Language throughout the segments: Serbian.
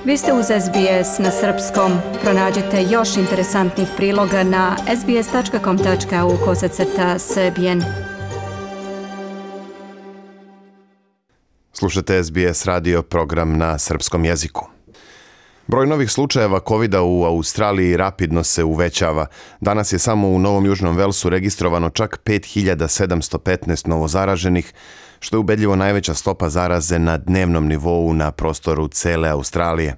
Vi ste uz SBS na srpskom. Pronađite još interesantnih priloga na sbs.com.au/srbijen. Slušate SBS radio program na srpskom jeziku. Broj novih slučajeva COVID-a u Australiji rapidno se uvećava. Danas je samo u Novom Južnom Velsu registrovano čak 5715 novozaraženih, što je ubedljivo najveća stopa zaraze na dnevnom nivou na prostoru cele Australije.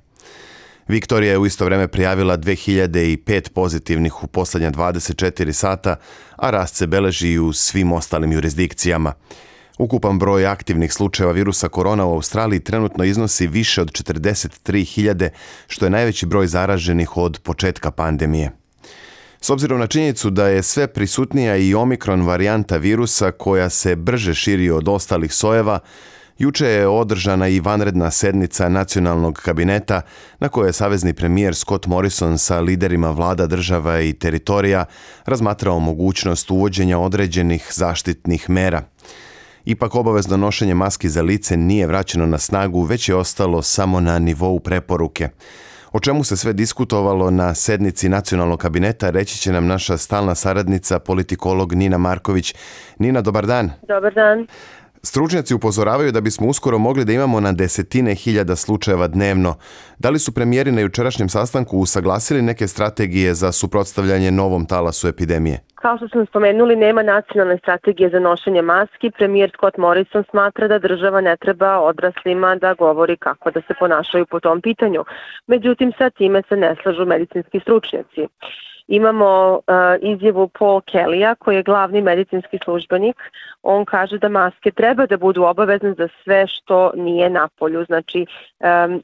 Viktorija je u isto vreme prijavila 2005 pozitivnih u posljednja 24 sata, a rast se beleži i u svim ostalim jurisdikcijama. Ukupan broj aktivnih slučajeva virusa korona u Australiji trenutno iznosi više od 43.000, što je najveći broj zaraženih od početka pandemije. S obzirom na činjenicu da je sve prisutnija i omikron varijanta virusa koja se brže širi od ostalih sojeva, juče je održana i vanredna sednica nacionalnog kabineta na kojoj je savezni premijer Scott Morrison sa liderima vlada država i teritorija razmatrao mogućnost uvođenja određenih zaštitnih mera. Ipak obavezno nošenje maski za lice nije vraćeno na snagu, već je ostalo samo na nivou preporuke. O čemu se sve diskutovalo na sednici nacionalnog kabineta reći će nam naša stalna saradnica, politikolog Nina Marković. Nina, dobar dan. Dobar dan. Stručnjaci upozoravaju da bismo uskoro mogli da imamo na desetine hiljada slučajeva dnevno. Da li su premijeri na jučerašnjem sastanku usaglasili neke strategije za suprotstavljanje novom talasu epidemije? Kao što smo spomenuli, nema nacionalne strategije za nošenje maski. Premijer Scott Morrison smatra da država ne treba odraslima da govori kako da se ponašaju po tom pitanju. Međutim, sa time se ne slažu medicinski stručnjaci. Imamo izjavu Paul Kellya, koji je glavni medicinski službenik. On kaže da maske treba da budu obavezne za sve što nije napolju, znači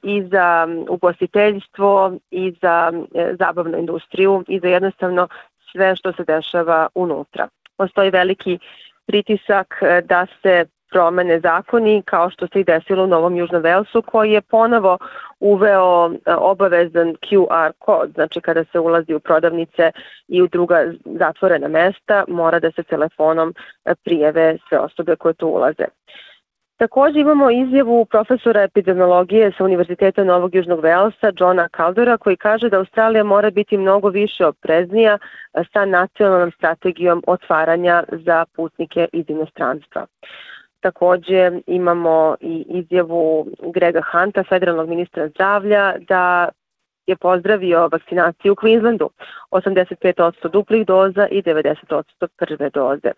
i za ugostiteljstvo, i za zabavnu industriju, i za jednostavno sve što se dešava unutra. Postoji veliki pritisak da se promene zakoni, kao što se i desilo u Novom Južnom Velsu, koji je ponovo uveo obavezan QR kod, znači kada se ulazi u prodavnice i u druga zatvorena mesta, mora da se telefonom prijave sve osobe koje tu ulaze. Također imamo izjavu profesora epidemiologije sa Univerziteta Novog Južnog Velsa, Johna Caldera, koji kaže da Australija mora biti mnogo više opreznija sa nacionalnom strategijom otvaranja za putnike iz inostranstva. Također imamo i izjavu Grega Hunta, federalnog ministra zdravlja, da je pozdravio vakcinaciju u Queenslandu, 85% duplih doza i 90% prve doze.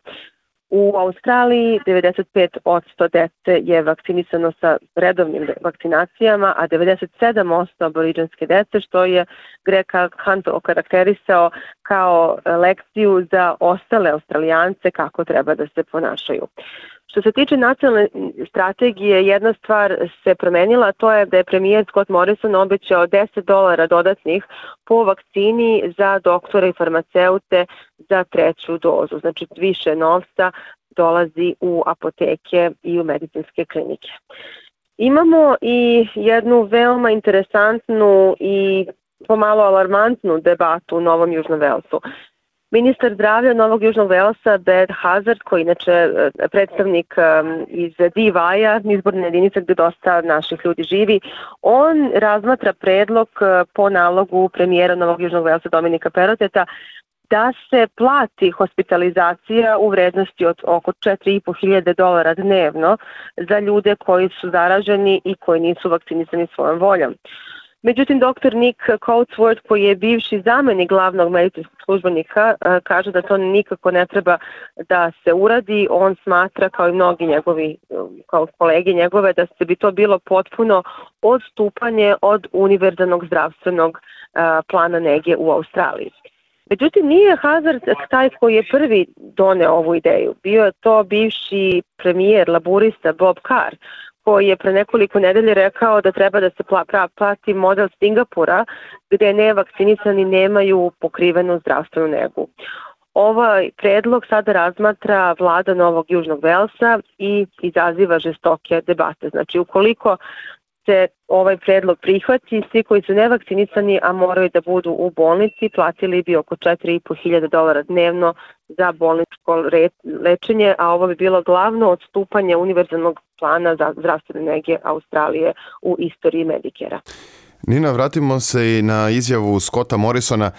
U Australiji 95% dece je vakcinisano sa redovnim vakcinacijama, a 97% aboriđanske dece, što je Greg Hunt okarakterisao kao lekciju za ostale Australijance kako treba da se ponašaju. Što se tiče nacionalne strategije, jedna stvar se promenila, a to je da je premijer Scott Morrison obećao $10 dodatnih po vakcini za doktore i farmaceute za treću dozu. Znači više novca dolazi u apoteke i u medicinske klinike. Imamo i jednu veoma interesantnu i pomalo alarmantnu debatu u Novom Južnom Velsu. Ministar zdravlja Novog Južnog Velsa, Brad Hazzard, koji inače predstavnik iz DY-a, izborne jedinice gdje dosta naših ljudi živi, on razmatra predlog po nalogu premijera Novog Južnog Velsa Dominika Perroteta da se plati hospitalizacija u vrednosti od oko $4.500 dnevno za ljude koji su zaraženi i koji nisu vakcinisani svojom voljom. Međutim, dr. Nick Coatsworth, koji je bivši zamenik glavnog medicinskog službenika, kaže da to nikako ne treba da se uradi. On smatra, kao i mnogi njegovi kao kolege njegove, da bi to bilo potpuno odstupanje od univerzalnog zdravstvenog plana nege u Australiji. Međutim, nije Hazzard taj koji je prvi doneo ovu ideju. Bio je to bivši premijer laburista Bob Carr, koji je pre nekoliko nedelje rekao da treba da se plati model Singapura, gde nevakcinisani nemaju pokrivenu zdravstvenu negu. Ovaj predlog sada razmatra vlada Novog Južnog Velsa i izaziva žestoke debate. Znači, ukoliko se ovaj predlog prihvati, svi koji su nevakcinisani, a moraju da budu u bolnici, platili bi oko $4.500 dnevno za bolničko lečenje, a ovo bi bilo glavno odstupanje univerzalnog plana za zdravstvene nege Australije u istoriji Medicare-a. Nina, vratimo se i na izjavu Scotta Morrisona.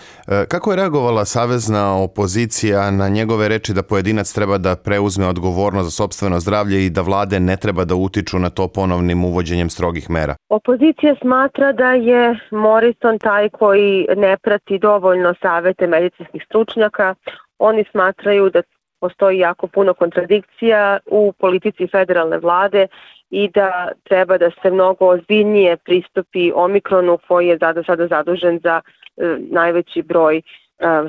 Kako je reagovala savezna opozicija na njegove reči da pojedinac treba da preuzme odgovornost za sopstveno zdravlje i da vlade ne treba da utiču na to ponovnim uvođenjem strogih mera? Opozicija smatra da je Morrison taj koji ne prati dovoljno savete medicinskih stručnjaka. Oni smatraju da postoji jako puno kontradikcija u politici federalne vlade i da treba da se mnogo ozbiljnije pristupi Omikronu koji je sada zadužen za najveći broj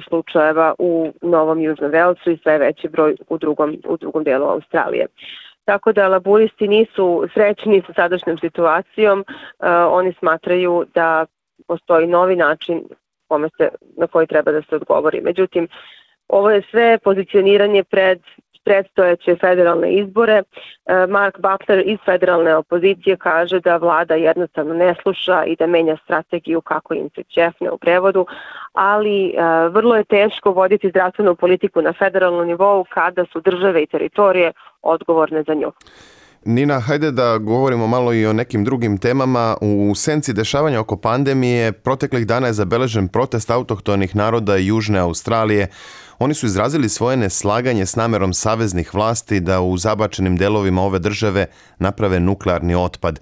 slučajeva u Novom Južnom Velsu i sve veći broj u drugom delu Australije. Tako da laburisti nisu srećni sa sadašnjom situacijom, oni smatraju da postoji novi način na koji treba da se odgovori. Međutim, ovo je sve pozicioniranje pred predstojeće federalne izbore. Mark Butler iz federalne opozicije kaže da vlada jednostavno ne sluša i da menja strategiju kako im se ćefne u prevodu, ali vrlo je teško voditi zdravstvenu politiku na federalnom nivou kada su države i teritorije odgovorne za nju. Nina, hajde da govorimo malo i o nekim drugim temama. U senci dešavanja oko pandemije proteklih dana je zabeležen protest autohtonih naroda Južne Australije. Oni su izrazili svoje neslaganje s namerom saveznih vlasti da u zabačenim delovima ove države naprave nuklearni otpad.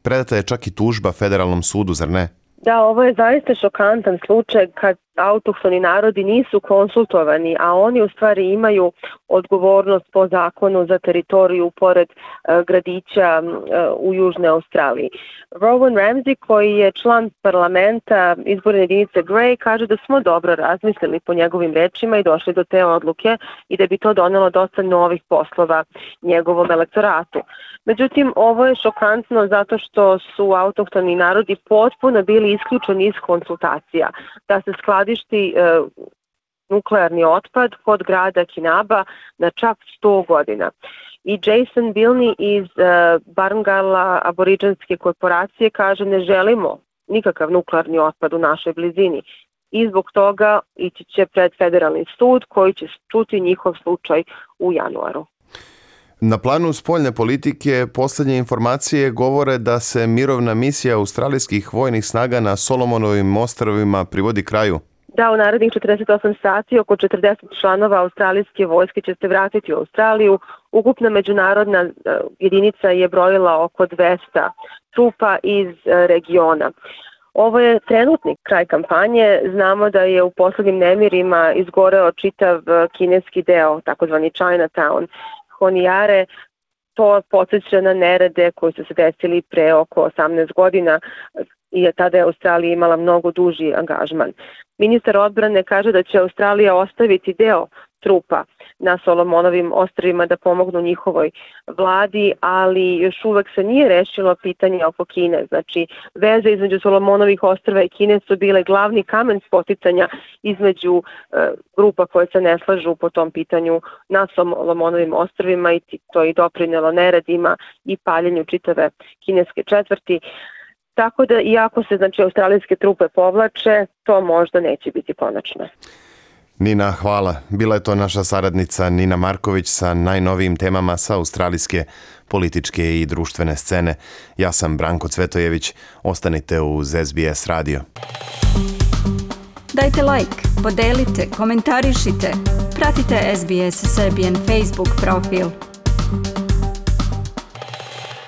Predata je čak i tužba federalnom sudu, zar ne? Da, ovo je zaista šokantan slučaj kad autohtoni narodi nisu konsultovani, a oni u stvari imaju odgovornost po zakonu za teritoriju pored gradića u Južnoj Australiji. Rowan Ramsey, koji je član parlamenta izborne jedinice Grey, kaže da smo dobro razmislili po njegovim rečima i došli do te odluke i da bi to donelo dosta novih poslova njegovom elektoratu. Međutim, ovo je šokantno zato što su autohtoni narodi potpuno bili isključeni iz konsultacija da se skladišti nuklearni otpad kod grada Kinaba na čak 100 godina. I Jason Bilney iz Barngala aboriđanske korporacije kaže ne želimo nikakav nuklearni otpad u našoj blizini i zbog toga ići će pred federalni sud koji će čuti njihov slučaj u januaru. Na planu spoljne politike posljednje informacije govore da se mirovna misija australijskih vojnih snaga na Solomonovim ostrvima privodi kraju. Da, u narednih 48 sati oko 40 članova australijske vojske će se vratiti u Australiju. Ukupna međunarodna jedinica je brojila oko 200 trupa iz regiona. Ovo je trenutni kraj kampanje. Znamo da je u poslednjim nemirima izgoreo čitav kineski deo, takozvani Chinatown. Honijare, to podsjeća na nerede koji su se desili pre oko 18 godina i tada je Australija imala mnogo duži angažman. Ministar odbrane kaže da će Australija ostaviti deo trupa na Solomonovim ostrvima da pomognu njihovoj vladi, ali još uvek se nije rešilo pitanje oko Kine. Znači, veze između Solomonovih ostrva i Kine su bile glavni kamen spoticanja između grupa koje se ne slažu po tom pitanju na Solomonovim ostrvima i to je doprinelo neredima i paljenju čitave kineske četvrti. Tako da, iako se australijske trupe povlače, to možda neće biti konačno. Nina, hvala. Bila je to naša saradnica Nina Marković sa najnovijim temama sa australijske političke i društvene scene. Ja sam Branko Cvetojević. Ostanite uz SBS radio. Dajte like, podelite, komentarišite. Pratite SBS Serbian Facebook profil.